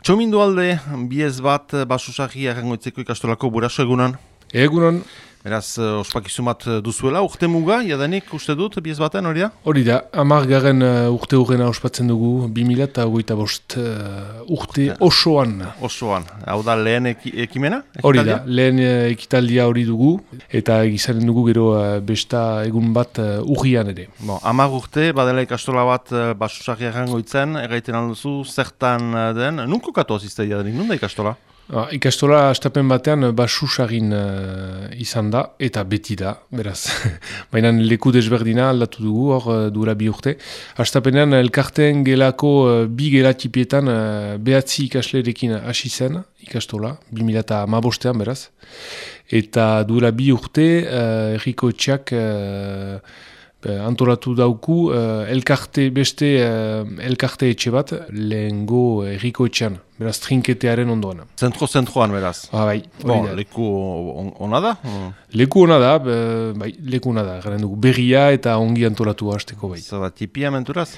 Txomindu alde, biez bat basusagi errangoitzeko ikastolako buraso egunan. Egunon. Beraz, ospakizun bat duzuela, urte muga, jadanik uste dut, biez baten hori da? Hori da, 10. urte hurrena ospatzen dugu, 2025 urte osoan. Osoan, hau da lehen ekimena? Hori da, lehen ekitaldia hori dugu, eta izanen dugu gero besta egun bat urrian ere. 10 urte, badela ikastola bat basusagi errangoitzen, erraiten alduzu, zertan den, nunko katoaz izte jadanik, nun da ikastola? Ikastola astapen batean basusagin izan da, eta beti da, beraz. Baina leku desberdina aldatu dugu, hor duela 2 urte. Astapenean elkarteen gelako bi gelatipietan behatzi ikaslerekin hasi zen ikastola, 2015an beraz. Eta duela 2 urte herriko etxeak antolatu dauku beste elkarte etxe bat lehengo herriko etxean. Beraz, trinketearen ondoan. Zentroan, beraz. Bai, leku ona da? Leku ona da, leku ona da. Garen dugu berria eta ongi antolatu hasteko bai. Zer da, tipia menturaz?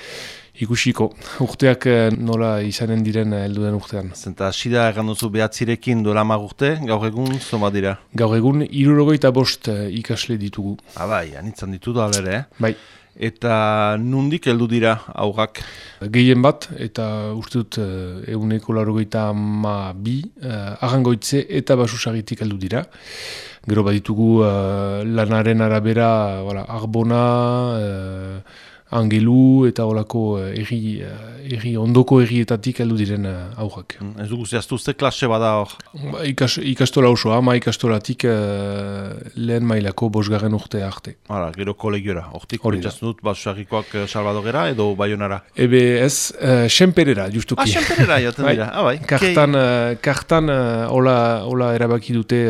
Ikusiko, urteak nola izanen diren helduden urtean. Zenta, sida erranduzu behatzirekin duela 10 urte, gaur egun zoma dira? Gaur egun 65 ikasle ditugu. Bai, anitzan ditu da alere, Bai. Eta nundik heldu dira aurrak? Gehien bat, eta uste dut 182 Arrangoitze eta Basusagitik heldu dira. Gero baditugu lanaren arabera Arbona, Angelu eta olako ondoko errietatik heldu diren aurrak. Ez dugu zehaztu ze klase bada hor? Ikastola osoa, ikastolatik lehen mailako 5. urte arte. Gero kolegiora, hortik pentsatzen dut basusagikoak Salvadorera edo Bayonara? Ebe ez, Senperera, justuki. Senperera jaten dira, bai. Kartan hola erabaki dute,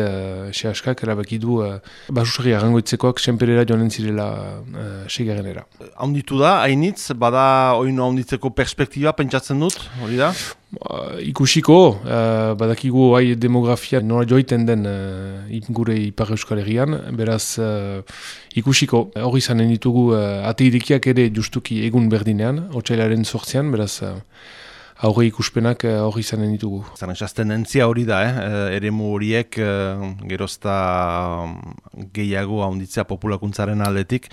sehaskak erabaki du basusagi Arrangoitzekoak Senperera joanen zirela segarenera. Haunditu da, hainitz, bada oino haunditzeko perspektiba pentsatzen dut, hori da? Ikusiko, badakigu demografia nora joiten den gure Ipar Euskal Herrian, beraz ikusiko, hori izanen ditugu ateidekiak ere justuki egun berdinean, otsailaren 8an, beraz aurre ikuspenak hori izanen ditugu. Zaren tendentzia hori da, eremu horiek gerozta gehiago haunditzea populakuntzaren aldetik,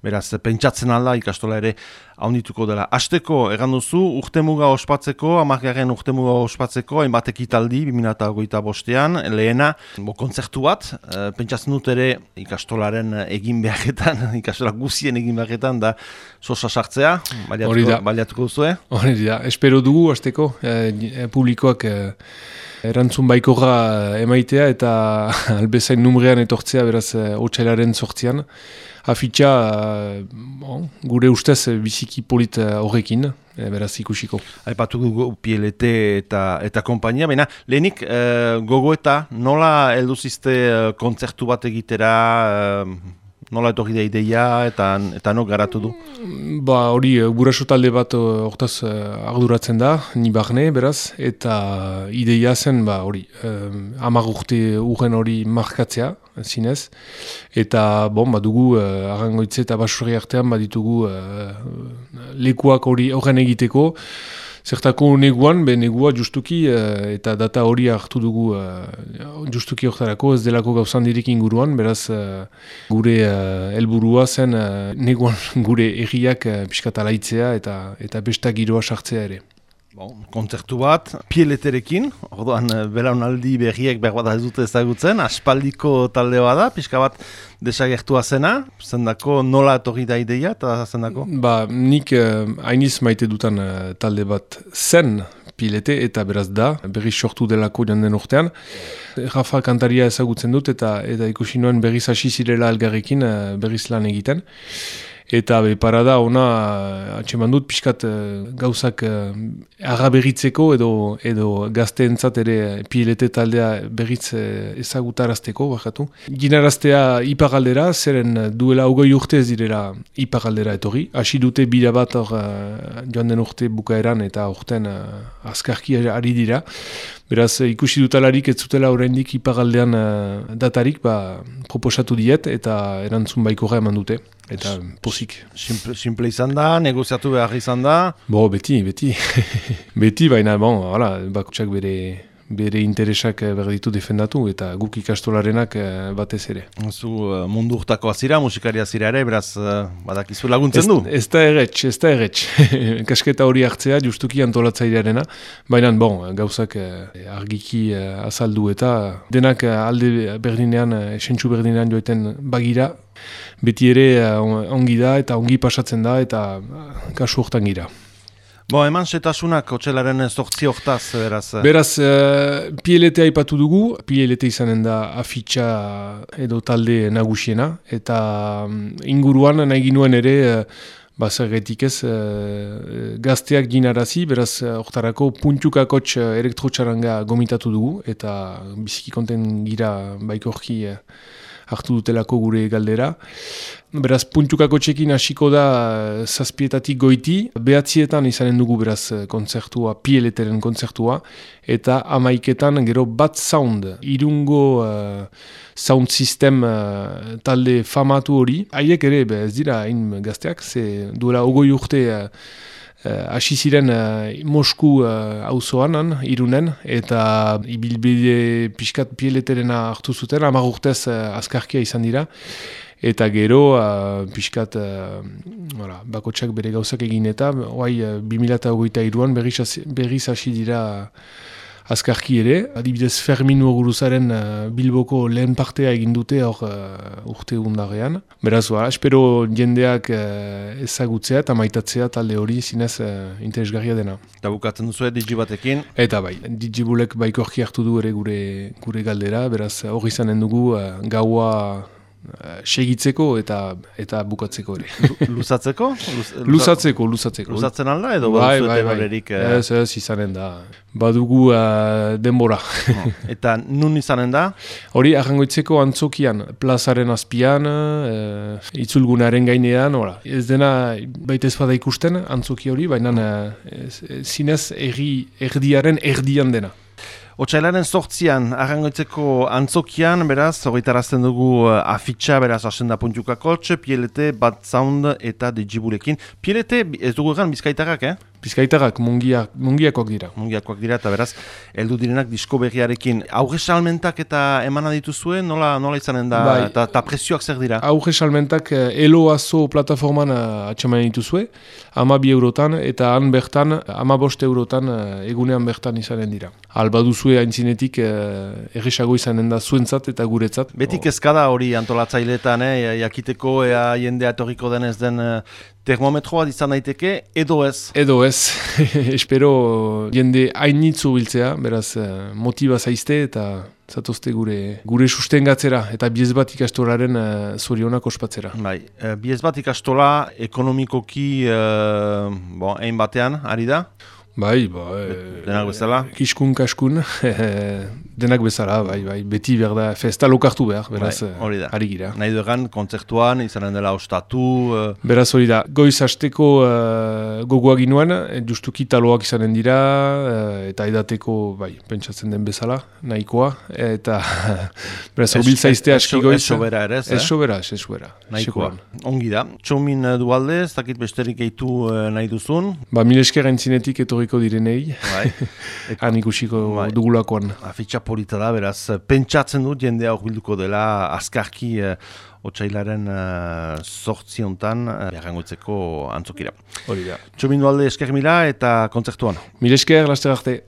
beraz pentsatzen alda ikastola ere haundituko dela. Hasteko erranduzu urtemuga ospatzeko, 10. urtemuga ospatzeko, hainbat ekitaldi 2025an, lehena kontzertu bat, pentsatzen dut ere ikastolaren egin beharretan, ikastola guzien egin beharretan da sosa sartzea, baliatuko duzue? Hori da, espero dugu hasteko publikoak erantzun baikorra emaitea eta albezain numrean etortzea beraz otsailaren 8an. Afitxa gure ustez biziki polit horrekin, beraz ikusiko. Aipatu dugu PLT eta kompainia, baina lehenik gogoeta nola heldu zizte kontzertu bat egitera, nola etorri da ideia eta no garatu du? Hori, guraso talde bat hortaz arduratzen da, ni barne, beraz, eta ideia zen, hori, 10 urte urren hori markatzea, zinez, eta dugu Arrangoitze eta Basurri artean baditugu lekuak horren egiteko, zertako neguan, negua justuki, eta data hori hartu dugu justuki horretarako, ez delako gauzandirik inguruan, beraz gure helburua zen neguan gure erriak piskatalaitzea eta besta giroa sartzea ere. Kontzertu bat, PLT-rekin, orduan belaunaldi berriek berbada ez dute ezagutzen, aspaldiko talde bada, pixka bat desagertua zena, zendako nola etorri da ideia eta zendako? Nik hainiz maite dutan talde bat zen PLT eta beraz da, berriz sortu delako joan den urtean. Rafa kantaria ezagutzen dut eta ikusi nuen berriz hasi zirela elgarrekin berriz lan egiten. Eta parada ona atxeman dut pixkat gauzak agaberritzeko edo gazteentzat ere PLT taldea berriz ezagutarazteko, bakatu. Ginaraztea iparaldera, zeren duela 20 urte ez direla iparaldera etorri. Hasi dute bira bat joan den urte bukaeran eta urten azkarki ari dira. Beraz, ikusi dutalarik ez zutela oraindik ipagaldean datarik, proposatu diet eta erantzun baikorra eman dute. Eta pozik. Simple izan da, negoziatu behar izan da? Beti. Beti, baina, bakotsak bere interesak berditu defendatu eta guk ikastolarenak batez ere. Zu mundu urtakoa zira, musikaria zira ere, beraz badakizu laguntzen du? Ez da erretx. Kasketa hori hartzea, justuki antolatzailearena, baina gauzak argiki azaldu eta denak alde berdinean, esentsu berdinean joeten bagira, beti ere ongi da eta ongi pasatzen da eta kasu hortan gira. Eman setasunak otxailaren 8 hortaz, beraz? Beraz, PLT aipatu dugu, PLT izanen da afitxa edo talde nagusiena, eta inguruan nahi ginuen ere, zergetik ez, gazteak ginarazi, beraz, hortarako puntukakotx elektrotxaranga gomitatu dugu, eta biziki konten gira baikorki hartu dutelako gure galdera. Beraz, puntukako txekin hasiko da 7 goiti, 9 izanen dugu beraz kontzertua, PLT-ren kontzertua, eta 11 gero Bat Sound, Irungo sound system talde famatu hori. Haiek ere, ez dira hain gazteak, duela 20 urte hasi ziren Mosku auzoan, Irunen, eta ibilbide pixkat PLT-rena hartu zuten, 10 urtez azkarkia izan dira, eta gero pixkat bakotsak bere gauzak egin eta 2023an berriz hasi dira azkarki ere. Adibidez Fermin Muguruzaren Bilboko lehen partea egin dute hor urte undarrean. Beraz, espero jendeak ezagutzea eta maitatzea talde hori zinez interesgarria dena. Eta bukatzen duzu Digibatekin? Eta Digibulek baikorki hartu du ere gure galdera, beraz hori izanen dugu gaua segitzeko eta bukatzeko ere. Luzatzeko? Luzatzeko. Luzatzen alda edo baduzueten horrerik? Ez izanen da. Badugu denbora. Eta nun izanen da? Hori Arrangoitzeko antzokian, plazaren azpian, itzulgunaren gainean, ez dena baita ez bada ikusten antzoki hori, baina zinez erdiaren erdian dena. Otsailaren 8an, Arrangoitzeko antzokian, beraz, horretarazten dugu afitxa, beraz, asenda puntukakotx, PLT, Bat Sound eta Digibulekin. PLT, ez dugu egan, bizkaitarrak, Bizkaitarrak, mungiakoak dira. Mungiakoak dira, eta beraz, heldu direnak disko berriarekin. Aurre salmentak eta emana dituzue, nola izanen da, eta prezioak zer dira? Aurre salmentak Eloazo plataforman atxamanen dituzue, 12 eurotan, eta han bertan, 15 eurotan egunean bertan izanen dira. Alba duzue haintzinetik erresago izanen da zuentzat eta guretzat. Betik ezkada hori antolatzaileetan, jakiteko ea jendea etorriko denez den termometroa izan daiteke, edo ez? Edo ez. Espero jende hainitzu biltzea, beraz motiba zaizte eta zatozte gure sustengatzera eta Biezbat ikastolaren zorionak ospatzera. Biezbat ikastola ekonomikoki ein batean, ari da? Denak bezala? Kiskun-kaskun, denak bezala, beti behar da, festa lokartu behar, beraz, ari gira. Nahi duegan, kontzertuan, izanen dela ostatu... Beraz hori da, goiz hasteko gogoak ginuen, justuki taloak izanen dira, eta edateko, pentsatzen den bezala, nahikoa, eta beraz, horbil zaizte aski goiz. Ez sobera ere, ez sobera. Nahikoa. Ongi da. Txomin dualde, ez dakit besterik eitu nahi duzun? Mil esker entzinetik etorriko direnei, han ikusiko dugulakoan. Afitxa polita da, beraz, pentsatzen dut jendea horbilduko dela azkarki otsailaren 8 hontan Arrangoitzeko antzokira. Hori da. Txomin dualde esker mila eta kontzertuan. Mil esker, laster arte.